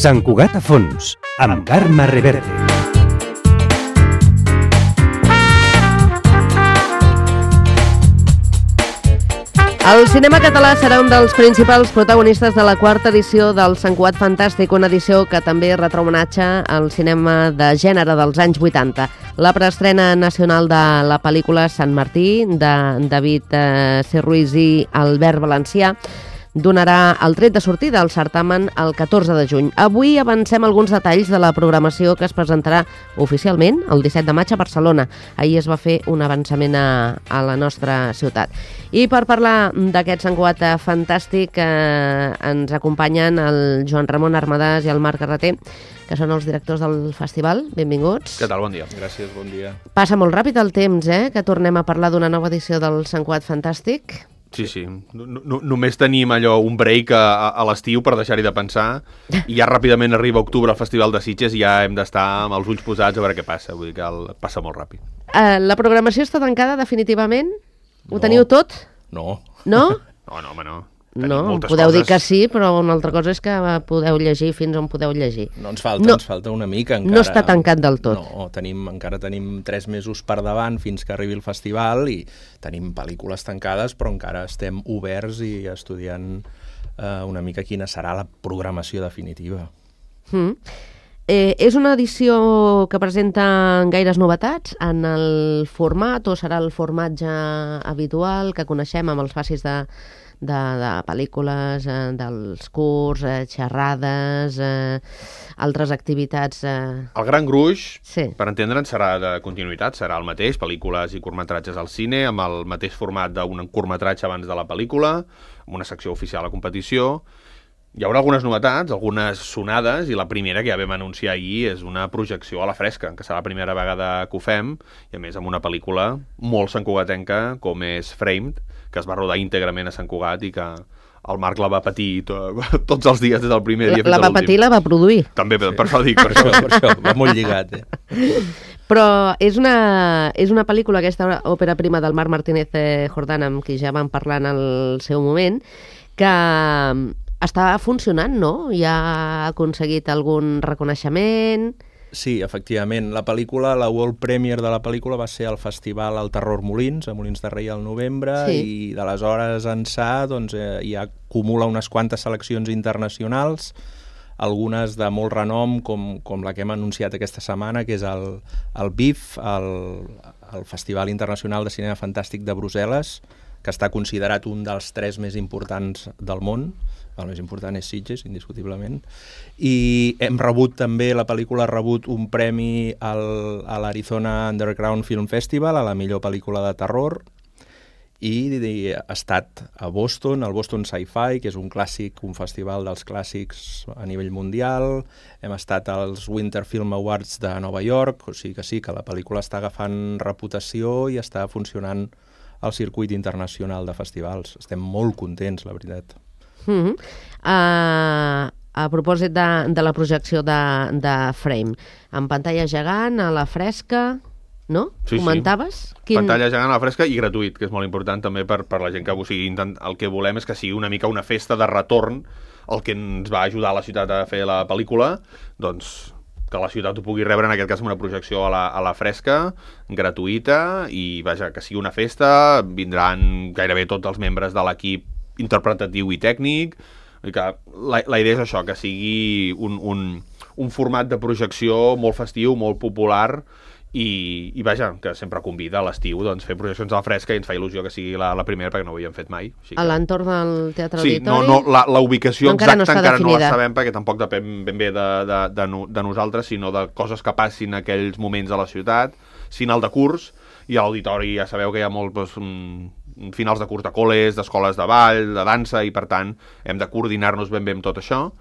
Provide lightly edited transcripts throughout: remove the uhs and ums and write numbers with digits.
Sant Cugat a fons, amb Carme Reverte. El cinema català serà un dels principals protagonistes de la quarta edició del Sant Cugat Fantàstic, una edició que també retrà homenatge al cinema de gènere dels anys 80. La preestrena nacional de la pel·lícula Sant Martí, de David C. Ruiz i Albert Valencià, donarà el tret de sortida al certamen el 14 de juny. Avui avancem alguns detalls de la programació que es presentarà oficialment el 17 de maig a Barcelona. Ahir es va fer un avançament a la nostra ciutat. I per parlar d'aquest Sant Cugat Fantàstic ens acompanyen el Joan Ramon Armadàs i el Marc Carreter, que són els directors del festival. Benvinguts. Què tal? Bon dia. Gràcies, bon dia. Passa molt ràpid el temps, que tornem a parlar d'una nova edició del Sant Cugat Fantàstic. Sí. Només tenim allò, un break a l'estiu per deixar-hi de pensar, i ja ràpidament arriba octubre al Festival de Sitges i ja hem d'estar amb els ulls posats a veure què passa. Vull dir que passa molt ràpid. La programació està tancada definitivament? Ho teniu tot? No. No? No, home, no. No, podeu dir que sí, però una altra cosa és que podeu llegir fins on podeu llegir. No, ens falta una mica encara. No està tancat del tot. No, encara tenim 3 mesos per davant fins que arribi el festival i tenim pel·lícules tancades, però encara estem oberts i estudiant una mica quina serà la programació definitiva. És una edició que presenta gaires novetats en el format, o serà el formatge habitual que coneixem amb els facis de pel·lícules, dels curts, xerrades, altres activitats... El gran gruix, sí, per entendre'ns, serà de continuïtat, serà el mateix, pel·lícules i curtmetratges al cine, amb el mateix format d'un curtmetratge abans de la pel·lícula, amb una secció oficial a competició. Hi haurà algunes novetats, algunes sonades, i la primera que ja vam anunciar ahir és una projecció a la fresca, que serà la primera vegada que ho fem, i a més amb una pel·lícula molt santcugatenca com és Framed, que es va rodar íntegrament a Sant Cugat i que el Marc la va patir tots els dies des del primer dia fins a l'últim. La va patir i la va produir. També, per això dic. Per això, va molt lligat. Però és una pel·lícula, aquesta òpera prima del Marc Martínez Jordana, amb qui ja vam parlar en el seu moment, que està funcionant, no? Ja ha aconseguit algun reconeixement... Sí, efectivament. La pel·lícula, la World Premiere de la pel·lícula va ser al festival al Terror Molins, a Molins de Rei al novembre, sí. I d'aleshores ençà doncs, ja acumula unes quantes seleccions internacionals, algunes de molt renom, com la que hem anunciat aquesta setmana, que és el BIF, el Festival Internacional de Cinema Fantàstic de Brussel·les, que està considerat un dels 3 més importants del món. El més important és Sitges, indiscutiblement. I hem rebut també, la pel·lícula ha rebut un premi a l'Arizona Underground Film Festival, a la millor pel·lícula de terror, i ha estat a Boston, al Boston Sci-Fi, que és un clàssic, un festival dels clàssics a nivell mundial. Hem estat als Winter Film Awards de Nova York, o sigui que sí, que la pel·lícula està agafant reputació i està funcionant al circuit internacional de festivals. Estem molt contents, la veritat. A propòsit de la projecció de Frame, en pantalla gegant, a la fresca, no? Sí, comentaves? Sí. Pantalla gegant a la fresca i gratuït, que és molt important també per la gent que el que volem és que sigui una mica una festa de retorn, el que ens va ajudar a la ciutat a fer la pel·lícula, doncs que la ciutat ho pugui rebre, en aquest cas amb una projecció a la fresca, gratuïta, i vaja, que sigui una festa, vindran gairebé tots els membres de l'equip interpretatiu i tècnic, que la idea és això, que sigui un format de projecció molt festiu, molt popular, i vaja, que sempre convida a l'estiu doncs, fer projeccions a la fresca, i ens fa il·lusió que sigui la primera, perquè no ho havíem fet mai. A l'entorn del Teatre Sí, Auditori? La ubicació encara exacta encara no la definida. sabem, perquè tampoc depèn ben bé de nosaltres, sinó de coses que passin en aquells moments a la ciutat, final de curs, i a l'auditori ja sabeu que hi ha molt... finals de curs de col·les, d'escoles de ball, de dansa, i per tant hem de coordinar-nos ben bé amb tot això,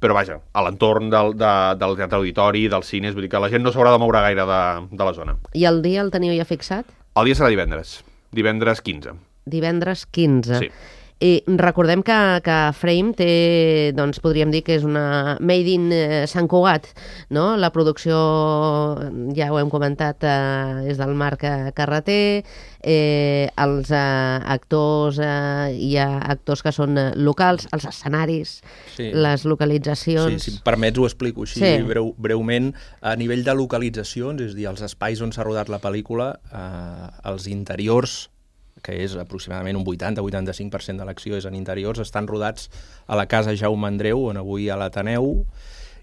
però vaja, a l'entorn del teatre auditori, dels cines, vull dir que la gent no s'haurà de moure gaire de la zona. I el dia el teniu ja fixat? El dia serà divendres 15. Divendres 15. Sí. I recordem que Frame té, doncs podríem dir que és una made in Sant Cugat, no? La producció, ja ho hem comentat, és del Marc Carreter, els actors, hi ha actors que són locals, els escenaris, les localitzacions... Sí, si em permets ho explico així breument. A nivell de localitzacions, és a dir, els espais on s'ha rodat la pel·lícula, els interiors, que és aproximadament un 80-85% de l'acció és en interiors, estan rodats a la Casa Jaume Andreu, on avui hi ha l'Ateneu,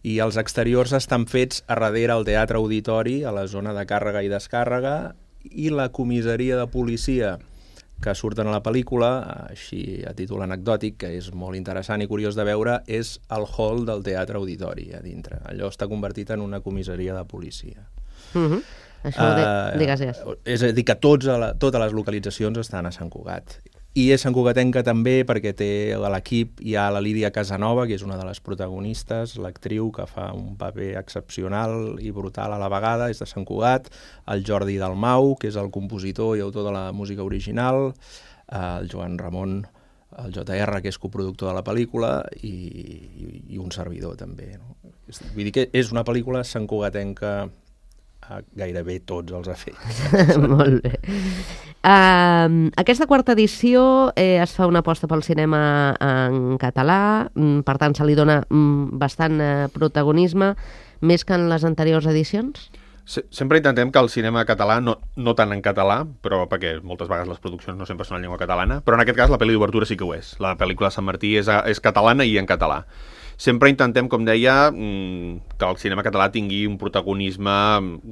i els exteriors estan fets a darrere al Teatre Auditori, a la zona de càrrega i descàrrega, i la comissaria de policia que surten a la pel·lícula, així a títol anecdòtic, que és molt interessant i curiós de veure, és el hall del Teatre Auditori a dintre. Allò està convertit en una comissaria de policia. Això digues. És a dir, que totes les localitzacions estan a Sant Cugat. I és Sant Cugatenca també perquè té a l'equip hi ha la Lídia Casanova, que és una de les protagonistes, l'actriu que fa un paper excepcional i brutal a la vegada, és de Sant Cugat, el Jordi Dalmau, que és el compositor i autor de la música original, el Joan Ramon, el JR, que és coproductor de la pel·lícula, i un servidor també. No? Vull dir que és una pel·lícula santcugatenca a gairebé tots els efectes. Molt bé. Aquesta quarta edició es fa una aposta pel cinema en català, per tant se li dona bastant protagonisme, més que en les anteriors edicions? Sempre intentem que el cinema català, no tant en català, però perquè moltes vegades les produccions no sempre són en llengua catalana, però en aquest cas la pel·li d'obertura sí que ho és. La pel·lícula de Sant Martí és catalana i en català. Sempre intentem, com deia, que el cinema català tingui un protagonisme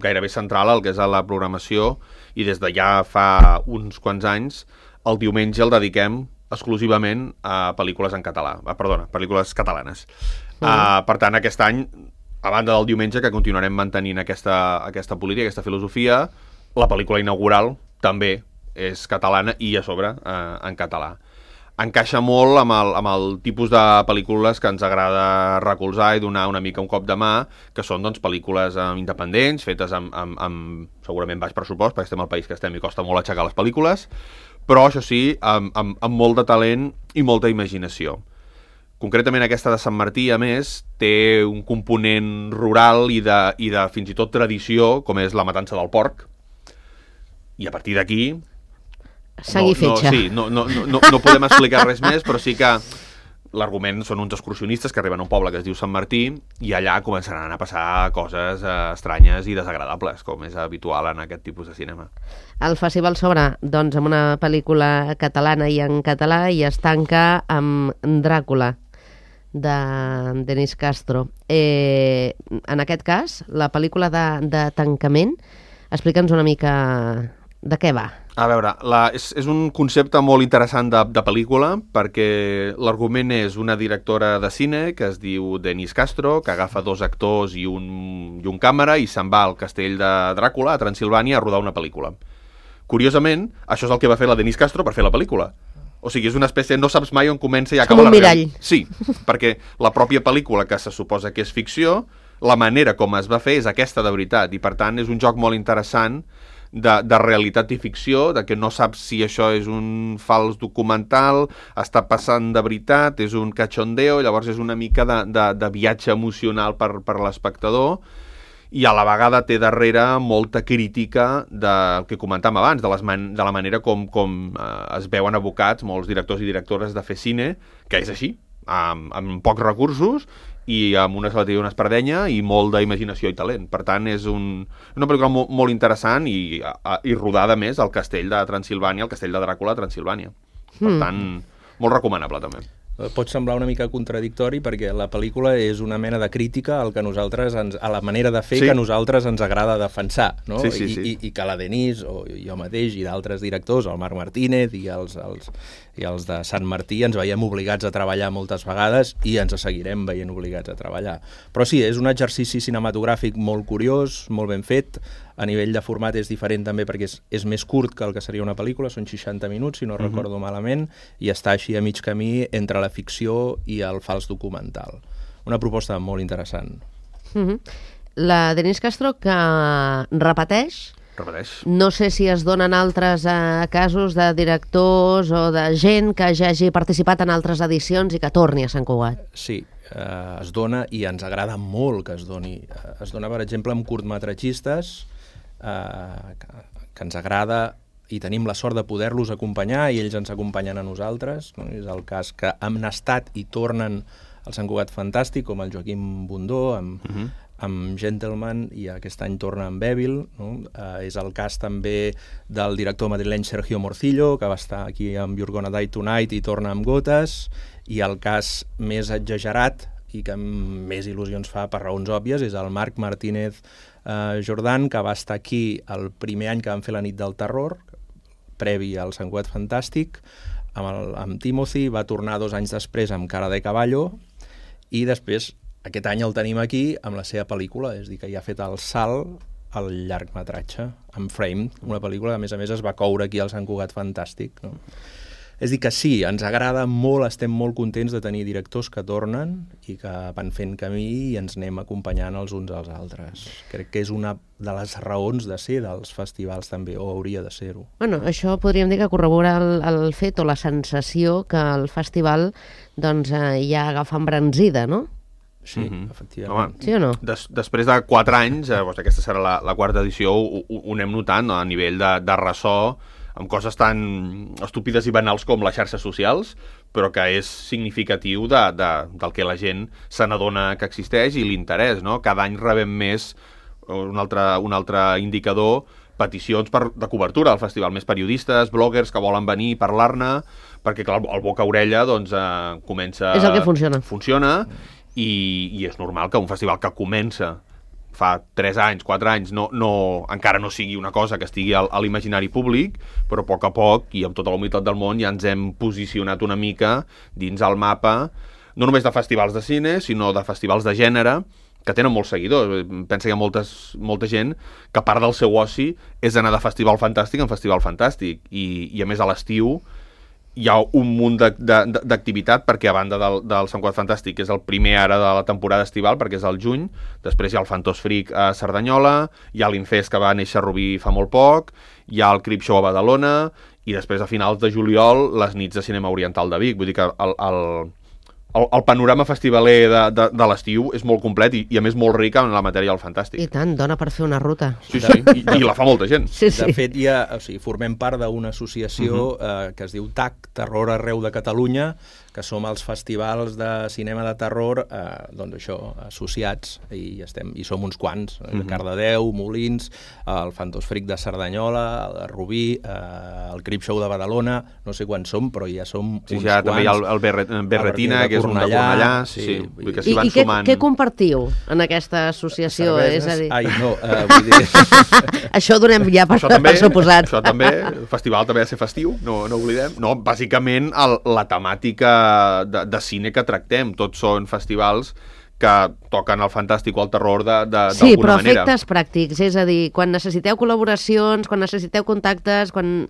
gairebé central al que és a la programació, i des de ja fa uns quants anys el diumenge el dediquem exclusivament a pel·lícules en català. Pel·lícules catalanes. Per tant, aquest any, a banda del diumenge, que continuarem mantenint aquesta política, aquesta filosofia, la pel·lícula inaugural també és catalana i a sobre en català. Encaixa molt amb el tipus de pel·lícules que ens agrada recolzar i donar una mica un cop de mà, que són doncs, pel·lícules independents, fetes amb segurament baix pressupost, perquè estem al país que estem i costa molt aixecar les pel·lícules, però això sí, amb molt de talent i molta imaginació. Concretament aquesta de Sant Martí, a més, té un component rural i de fins i tot tradició, com és la matança del porc, i a partir d'aquí... Sang i fetge. No podem explicar res més, però sí que l'argument són uns excursionistes que arriben a un poble que es diu Sant Martí i allà començaran a passar coses estranyes i desagradables, com és habitual en aquest tipus de cinema. El festival s'obre doncs, amb una pel·lícula catalana i en català i es tanca amb Dràcula, de Denis Castro. En aquest cas, la pel·lícula de tancament, explica'ns una mica de què va. A veure, és un concepte molt interessant de pel·lícula, perquè l'argument és una directora de cine que es diu Denis Castro, que agafa 2 actors i un càmera i se'n va al castell de Dràcula, a Transilvània, a rodar una pel·lícula. Curiosament, això és el que va fer la Denis Castro per fer la pel·lícula. O sigui, és una espècie... No saps mai on comença i acaba la... Com un mirall. Sí, perquè la pròpia pel·lícula, que se suposa que és ficció, la manera com es va fer és aquesta de veritat, i per tant és un joc molt interessant de realitat i ficció, de que no saps si això és un fals documental, està passant de veritat, és un cachondeo, llavors és una mica de viatge emocional per l'espectador, i a la vegada té darrere molta crítica del que comentàvem abans, de la manera com es veuen abocats molts directors i directores de fer cine, que és així, amb pocs recursos, i amb una salateria i una espardenya i molt d'imaginació i talent. Per tant, és una pel·lícula molt interessant i rodada més al castell de Transilvània, al castell de Dràcula a Transilvània. Per tant, molt recomanable també. Pot semblar una mica contradictori perquè la pel·lícula és una mena de crítica al que nosaltres a la manera de fer que a nosaltres ens agrada defensar, no? Sí. I que la Denise o jo mateix i d'altres directors, el Marc Martínez i els de Sant Martí, ens veiem obligats a treballar moltes vegades i ens seguirem veient obligats a treballar. Però sí, és un exercici cinematogràfic molt curiós, molt ben fet. A nivell de format és diferent també perquè és més curt que el que seria una pel·lícula, són 60 minuts, si no recordo malament, i està així a mig camí entre la ficció i el fals documental. Una proposta molt interessant. La Denis Castro, que repeteix repeteix. No sé si es donen altres casos de directors o de gent que ja hagi participat en altres edicions i que torni a Sant Cugat. Sí, es dona i ens agrada molt que es doni. Es dona, per exemple, amb curtmetratgistes que ens agrada i tenim la sort de poder-los acompanyar i ells ens acompanyen a nosaltres. No? És el cas que han estat i tornen al Sant Cugat Fantàstic, com el Joaquim Bundó, amb Gentleman, i aquest any torna amb Bèbil. No? És el cas també del director madrileny Sergio Morcillo, que va estar aquí amb You're Gonna Die Tonight i torna amb Gotes, i el cas més exagerat i que més il·lusions fa per raons òbvies és el Marc Martínez Jordan, que va estar aquí el primer any que vam fer la nit del terror, previ al Sant Cugat Fantàstic, amb Timothy, va tornar 2 anys després amb Cara de Caballo, i després aquest any el tenim aquí amb la seva pel·lícula, és a dir, que ja ha fet el salt al llargmetratge, amb Frame, una pel·lícula que a més es va coure aquí al Sant Cugat Fantàstic. No? És a dir, que sí, ens agrada molt, estem molt contents de tenir directors que tornen i que van fent camí i ens anem acompanyant els uns als altres. Crec que és una de les raons de ser dels festivals també, o hauria de ser-ho. Bueno, això podríem dir que corrobora el fet o la sensació que el festival doncs, ja agafa embranzida, no? Sí, efectivament. Home, sí o no? Després de 4 anys, aquesta serà la quarta edició, ho anem notant, no? A nivell de ressò, amb coses tan estúpides i banals com les xarxes socials, però que és significatiu del que la gent se n'adona que existeix i l'interès, no? Cada any rebem més, un altre indicador, peticions de cobertura al festival, més periodistes, bloggers que volen venir i parlar-ne, perquè clar, el boca-orella doncs, comença... És el que funciona. Funciona, i és normal que un festival que comença fa 3 anys, 4 anys, encara no sigui una cosa que estigui a l'imaginari públic, però a poc, i amb tota la humilitat del món, ja ens hem posicionat una mica dins el mapa, no només de festivals de cine, sinó de festivals de gènere, que tenen molts seguidors. Pensa que hi ha molta gent que a part del seu oci és anar de festival fantàstic en festival fantàstic, i a més a l'estiu hi ha un munt d'activitat, perquè a banda del Sant Cugat Fantàstic, que és el primer ara de la temporada estival, perquè és al juny, després hi ha el Fantos Freak a Cerdanyola, hi ha l'Infest que va néixer a Rubí fa molt poc, hi ha el Crip Show a Badalona, i després a finals de juliol les nits de cinema oriental de Vic. Vull dir que el panorama festivaler de l'estiu és molt complet i a més molt ric en la matèria del fantàstic. I tant, dona per fer una ruta. Sí, i la fa molta gent. Sí. De fet, formem part d'una associació que es diu TAC, Terror Arreu de Catalunya, que som els festivals de cinema de terror, doncs això, associats, i som uns quants, Cardedeu, Molins, el Fantos Freak de Cerdanyola, el Rubí, el Crip Show de Badalona, no sé quants som, però ja som uns quants. Ja també hi ha el Berretina, que és un de Cornellà, vull que s'hi van sumant. Què compartiu en aquesta associació? Cerveses? És a dir... Ai, no, vull dir... Això ho donem ja per suposat. Això també, el festival també ha de ser festiu, no oblidem. No, bàsicament, la temàtica de cine que tractem, tots són festivals que toquen el fantàstic o el terror d'alguna manera. Sí, però efectes pràctics, és a dir, quan necessiteu col·laboracions, quan necessiteu contactes, quan...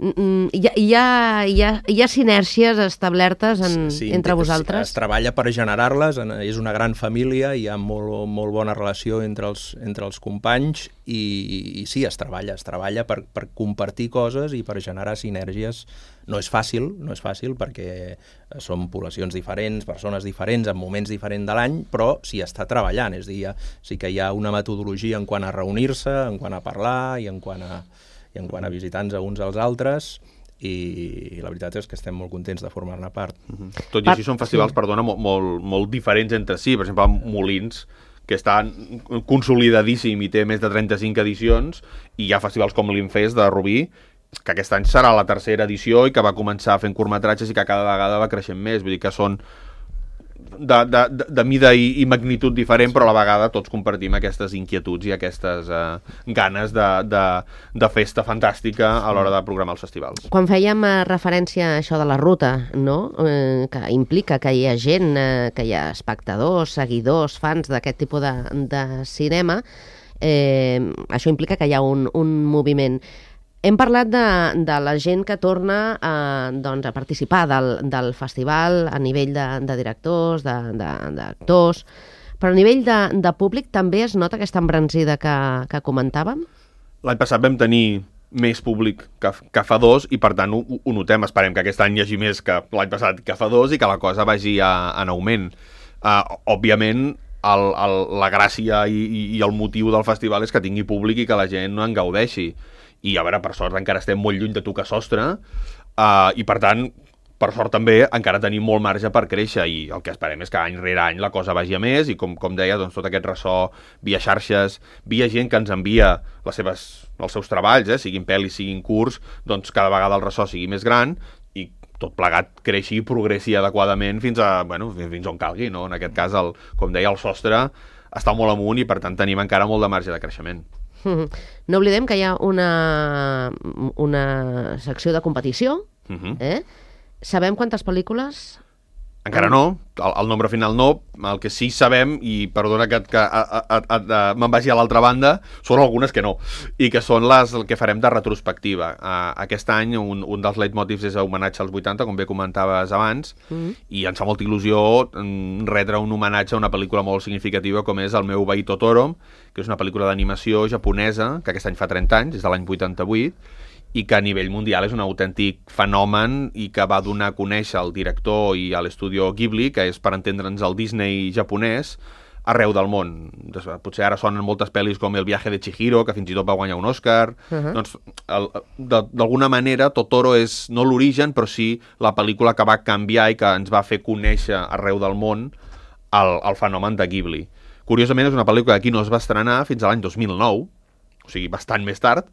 Hi ha sinèrgies establertes entre vosaltres? Es treballa per generar-les, és una gran família, hi ha molt bona relació entre els companys i sí, es treballa per compartir coses i per generar sinèrgies. No és fàcil perquè som poblacions diferents, persones diferents, en moments diferents de l'any, però s'hi està treballant, és a dir, sí que hi ha una metodologia en quant a reunir-se, en quant a parlar i en quant a visitar-nos uns als altres, i la veritat és que estem molt contents de formar-ne part. Tot i així són festivals, perdona, molt diferents entre si. Per exemple, Molins, que està consolidadíssim i té més de 35 edicions, i hi ha festivals com l'Infest de Rubí, que aquest any serà la 3a edició i que va començar fent curtmetratges i que cada vegada va creixent més. Vull dir que són de mida i magnitud diferent, però a la vegada tots compartim aquestes inquietuds i aquestes ganes de festa fantàstica a l'hora de programar els festivals. Quan fèiem referència a això de la ruta, no? Que implica que hi ha gent, que hi ha espectadors, seguidors, fans d'aquest tipus de cinema, això implica que hi ha un moviment. Hem parlat de la gent que torna a participar del festival a nivell de directors, d'actors, però a nivell de públic també es nota aquesta embranzida que comentàvem? L'any passat vam tenir més públic que fa 2 i per tant ho notem, esperem que aquest any hi hagi més que l'any passat que fa 2 i que la cosa vagi en augment. Òbviament la gràcia i el motiu del festival és que tingui públic i que la gent no en gaudeixi, i a veure, per sort encara estem molt lluny de tocar sostre, i per tant per sort també encara tenim molt marge per créixer, i el que esperem és que any rere any la cosa vagi a més, i com deia, doncs, tot aquest ressò via xarxes, via gent que ens envia els seus treballs, siguin pel·lis, siguin curts, doncs cada vegada el ressò sigui més gran i tot plegat creixi i progressi adequadament fins on calgui, no? En aquest cas, com deia, el sostre està molt amunt i per tant tenim encara molt de marge de creixement. No oblidem que hi ha una secció de competició, Sabem quantes pel·lícules? Encara no, el nombre final no. El que sí sabem, i perdona que me'n vagi a l'altra banda, són algunes que no, i que són les que farem de retrospectiva. Aquest any un dels leitmotivs és homenatge als 80, com bé comentaves abans, i ens fa molta il·lusió retre un homenatge a una pel·lícula molt significativa com és El meu veí Totoro, que és una pel·lícula d'animació japonesa, que aquest any fa 30 anys, és de l'any 88, i que a nivell mundial és un autèntic fenomen i que va donar a conèixer el director i a l'estudio Ghibli, que és, per entendre'ns, el Disney japonès, arreu del món. Potser ara sonen moltes pel·lis com El viaje de Chihiro, que fins i tot va guanyar un Oscar. Doncs, d'alguna manera, Totoro és no l'origen, però sí la pel·lícula que va canviar i que ens va fer conèixer arreu del món el fenomen de Ghibli. Curiosament, és una pel·lícula que aquí no es va estrenar fins a l'any 2009, o sigui, bastant més tard,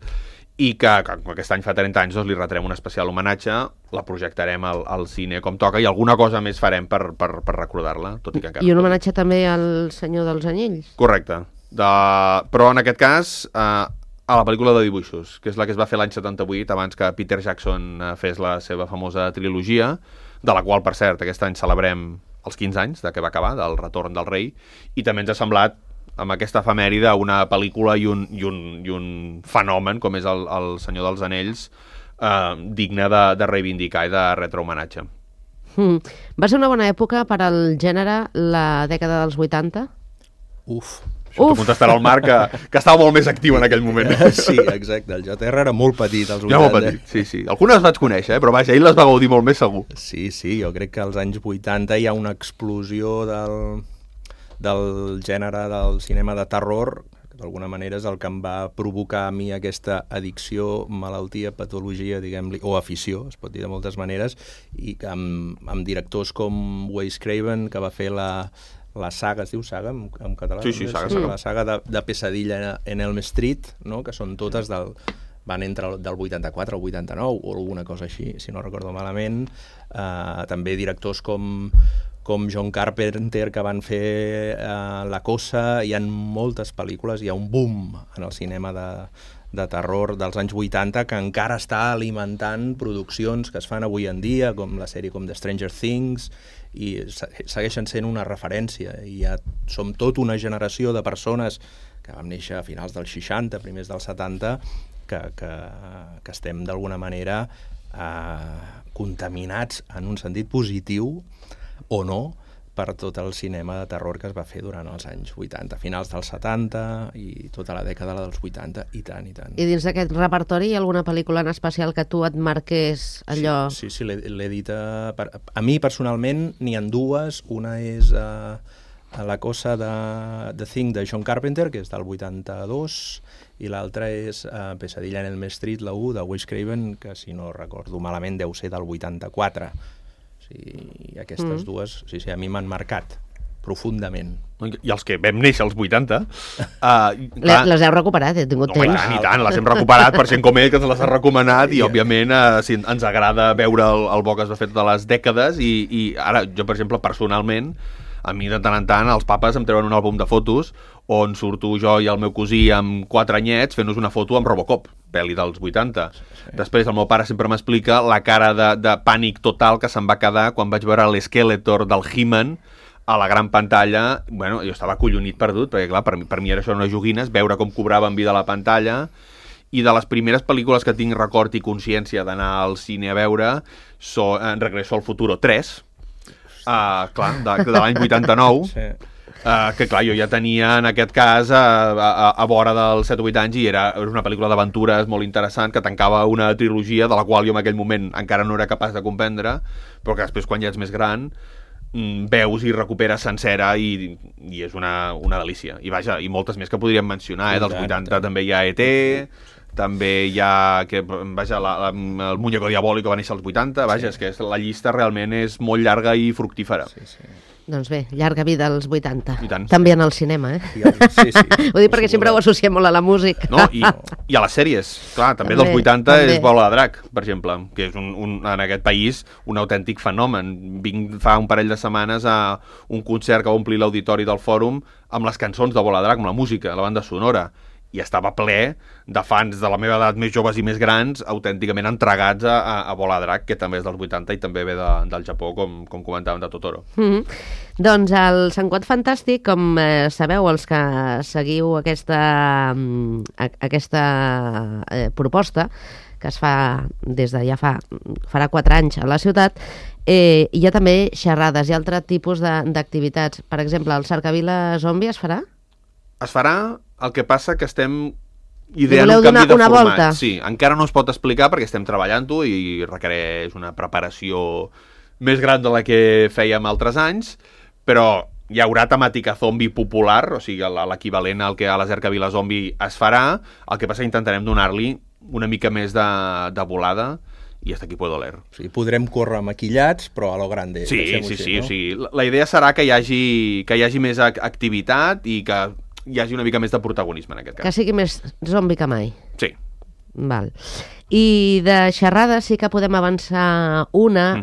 i que aquest any fa 30 anys doncs, li retrem un especial homenatge, la projectarem al cine com toca i alguna cosa més farem per recordar-la, tot i que encara... I un homenatge també al Senyor dels Anells. Correcte. Però en aquest cas a la pel·lícula de dibuixos, que és la que es va fer l'any 78, abans que Peter Jackson fes la seva famosa trilogia, de la qual, per cert, aquest any celebrem els 15 anys de que va acabar, del Retorn del Rei, i també ens ha semblat amb aquesta efemèride una pel·lícula i un fenomen com és el Senyor dels Anells digne de reivindicar i de retre homenatge. Va ser una bona època per al gènere la dècada dels 80? T'ho contestarà el Marc, que estava molt més actiu en aquell moment. Sí, exacte. El JR era molt petit als 80. Ja molt petit, sí. Algunes vaig conèixer, però vaja, ell les va gaudir molt més segur. Sí, jo crec que als anys 80 hi ha una explosió del gènere del cinema de terror, que d'alguna manera és el que em va provocar a mi aquesta addicció, malaltia, patologia, diguem-li, o afició, es pot dir de moltes maneres, i que amb directors com Wes Craven, que va fer la saga, es diu saga en català? Sí, saga. La saga de Pesadilla en Elm Street, no? Que són totes van entre del 84 al 89 o alguna cosa així, si no recordo malament. També directors com John Carpenter, que van fer La Cosa. Hi ha moltes pel·lícules, hi ha un boom en el cinema de terror dels anys 80 que encara està alimentant produccions que es fan avui en dia, com la sèrie com The Stranger Things, i segueixen sent una referència. I ja som tota una generació de persones que vam néixer a finals dels 60, primers dels 70, que estem d'alguna manera contaminats en un sentit positiu o no per tot el cinema de terror que es va fer durant els anys 80, finals dels 70 i tota la dècada dels 80, i tant. I dins d'aquest repertori hi ha alguna pel·lícula en especial que tu et marqués allò? Sí, l'he dit. A mi personalment n'hi ha dues. Una és La Cosa de The Thing de John Carpenter, que és del 82, i l'altra és Pesadilla en Elm Street, la 1, de Wes Craven, que si no recordo malament deu ser del 84. I aquestes dues, a mi m'han marcat profundament. I els que vam néixer als 80... les heu recuperat, he tingut temps. I tant, les hem recuperat per gent com ell, que ens les ha recomanat, i òbviament ens agrada veure el bo que es va fer totes les dècades, i ara, jo, per exemple, personalment, a mi de tant en tant els papes em treuen un àlbum de fotos on surto jo i el meu cosí amb 4 anyets fent-nos una foto amb Robocop, pel·li dels 80. Després el meu pare sempre m'explica la cara de pànic total que se'm va quedar quan vaig veure l'Skeletor del He-Man a la gran pantalla. Bueno, jo estava acollonit perdut, perquè clar, per mi era això unes joguines, veure com cobrava en vida la pantalla. I de les primeres pel·lícules que tinc record i consciència d'anar al cine a veure són Regreso al Futuro 3, clar, de l'any 89. Que clar, jo ja tenia en aquest cas a vora dels 7 o 8 anys i era una pel·lícula d'aventures molt interessant que tancava una trilogia de la qual jo en aquell moment encara no era capaç de comprendre, però que després quan ja ets més gran veus i recuperes sencera i és una delícia. I vaja, i moltes més que podríem mencionar, dels 80 també hi ha E.T., també hi ha el Muñeco Diabólico va néixer als 80, vaja, és que la llista realment és molt llarga i fructífera. Doncs bé, llarga vida als 80. I tant. També en el cinema, Sí. Ho dic perquè sempre ho associem molt a la música. No, i a les sèries, clar, també dels 80 és Bola de Drac, per exemple, que és en aquest país un autèntic fenomen. Vinc fa un parell de setmanes a un concert que va omplir l'auditori del Fòrum amb les cançons de Bola de Drac, amb la música, la banda sonora, i estava ple de fans de la meva edat més joves i més grans, autènticament entregats a Bola de Drac, que també és dels 80 i també ve del Japó, com comentàvem, de Totoro. Doncs el Sant Quat Fantàstic, com sabeu, els que seguiu aquesta proposta, que es fa des de farà 4 anys a la ciutat, hi ha també xerrades i altre tipus d'activitats. Per exemple, el Cercavila Zombi es farà? Es farà, el que passa que estem ideant un canvi de format. Volta? Sí, encara no es pot explicar perquè estem treballant-ho i requereix una preparació més gran de la que fèiem altres anys, però hi haurà temàtica zombi popular, o sigui, l'equivalent al que a la Cercavila Zombi es farà, el que passa que intentarem donar-li una mica més de volada i hasta aquí puedo leer. O sigui, podrem córrer maquillats, però a lo grande. Sí, no? O sigui, la idea serà que hi hagi més activitat i que hi hagi una mica més de protagonisme en aquest cas. Que sigui més zombi que mai. Sí. Val. I de xerrada sí que podem avançar una,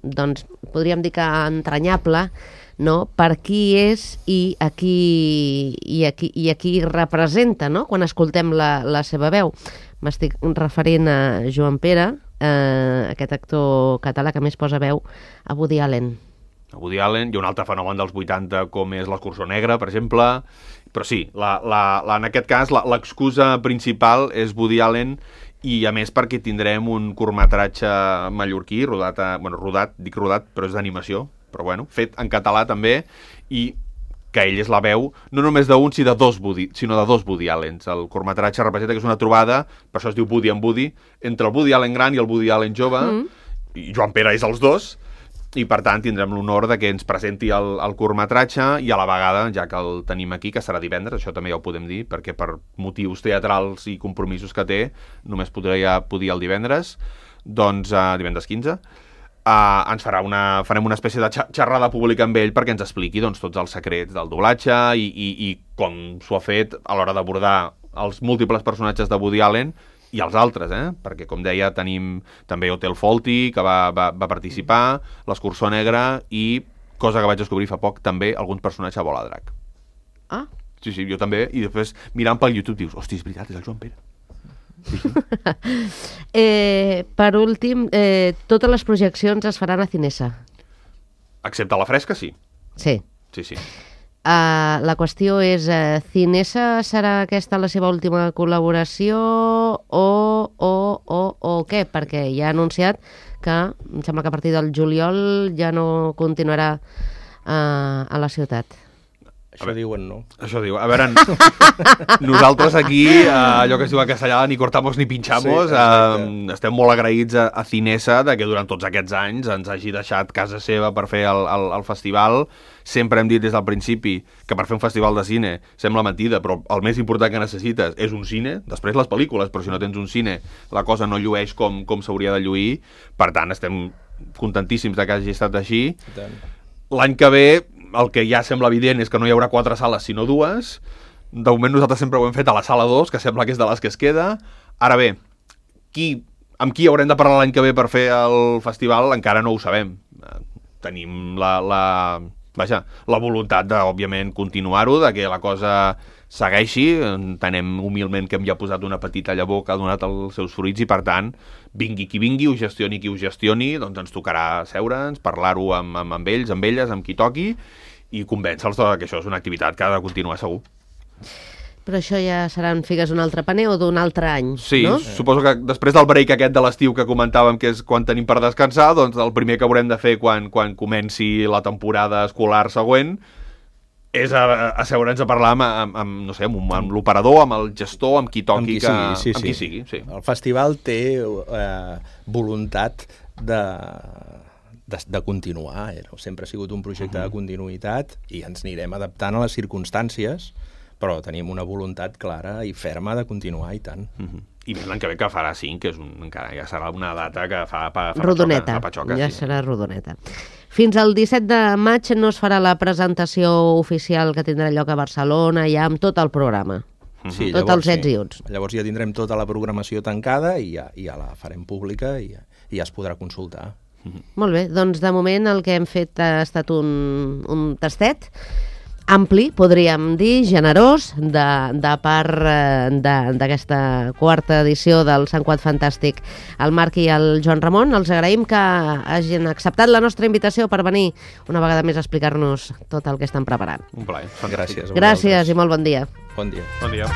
doncs podríem dir que entranyable, no? Per qui és i a qui representa, no? Quan escoltem la seva veu. M'estic referint a Joan Pere, aquest actor català que més posa veu a Woody Allen. A Woody Allen, hi ha un altre fenomen dels 80 com és l'Escurçó Negre, per exemple, però sí, en aquest cas l'excusa principal és Woody Allen i a més perquè tindrem un curtmetratge mallorquí rodat, però és d'animació, però bueno, fet en català també, i que ell és la veu no només d'un, sinó de dos Woody Allens. El curtmetratge representa que és una trobada, per això es diu Woody and Woody, entre el Woody Allen gran i el Woody Allen jove, i Joan Pere és els dos, i per tant tindrem l'honor de que ens presenti el curtmetratge i a la vegada, ja que el tenim aquí, que serà divendres, això també ja ho podem dir, perquè per motius teatrals i compromisos que té només podia el divendres, doncs divendres 15, farem una espècie de xerrada pública amb ell perquè ens expliqui doncs, tots els secrets del doblatge i com s'ho ha fet a l'hora d'abordar els múltiples personatges de Woody Allen i els altres, perquè, com deia, tenim també Hotel Fawlty, que va participar, l'Escurçó Negre i, cosa que vaig descobrir fa poc, també alguns personatges a Bola de Drac. Ah? Sí, jo també, i després mirant pel YouTube dius, hosti, és veritat, és el Joan Pere. Per últim, totes les projeccions es faran a Cinesa. Excepte la Fresca, sí. Sí. Sí. La qüestió és, Cinesa serà aquesta la seva última col·laboració o què? Perquè ja ha anunciat que em sembla que a partir del juliol ja no continuarà a la ciutat. Això diuen, no? Això diu. A veure, nosaltres aquí, allò que es diu a castellà, ni cortamos ni pinchamos, estem molt agraïts a Cinesa de que durant tots aquests anys ens hagi deixat casa seva per fer el festival. Sempre hem dit des del principi que per fer un festival de cine sembla mentida, però el més important que necessites és un cine, després les pel·lícules, però si no tens un cine la cosa no llueix com s'hauria de lluir. Per tant, estem contentíssims que hagi estat així. L'any que ve el que ja sembla evident és que no hi haurà 4 sales sinó 2. De moment nosaltres sempre ho hem fet a la sala 2, que sembla que és de les que es queda. Ara bé, amb qui haurem de parlar l'any que ve per fer el festival encara no ho sabem. Tenim la voluntat de, òbviament, continuar-ho, de que la cosa segueixi. Entenem humilment que hem ja posat una petita llavor que ha donat els seus fruits i, per tant, vingui qui vingui, ho gestioni qui ho gestioni, doncs ens tocarà seure'ns, parlar-ho amb ells, amb elles, amb qui toqui i convèncer-los que això és una activitat que ha de continuar segur. Però això ja seran figues d'un altre paner o d'un altre any, sí, no? Sí, suposo que després del break aquest de l'estiu que comentàvem, que és quan tenim per descansar, doncs el primer que haurem de fer quan comenci la temporada escolar següent és asseure'ns a parlar no sé, amb l'operador, amb el gestor, amb qui toqui, amb qui sigui. Sí. El festival té voluntat de continuar, sempre ha sigut un projecte de continuïtat i ens anirem adaptant a les circumstàncies, però tenim una voluntat clara i ferma de continuar, i tant. I més l'any que ve, que farà 5, que és encara ja serà una data que fa rodoneta, patxoca, ja serà rodoneta. Fins al 17 de maig no es farà la presentació oficial que tindrà lloc a Barcelona, ja amb tot el programa. Sí, tots els ets i uts. Llavors ja tindrem tota la programació tancada i ja la farem pública i ja es podrà consultar. Molt bé, doncs de moment el que hem fet ha estat un tastet ampli, podríem dir, generós, de part d'aquesta quarta edició del Sant Quad Fantàstic. El Marc i el Joan Ramon, els agraïm que hagin acceptat la nostra invitació per venir una vegada més a explicar-nos tot el que estan preparant. Un plaer. Gràcies. Gràcies i molt bon dia. Bon dia. Bon dia.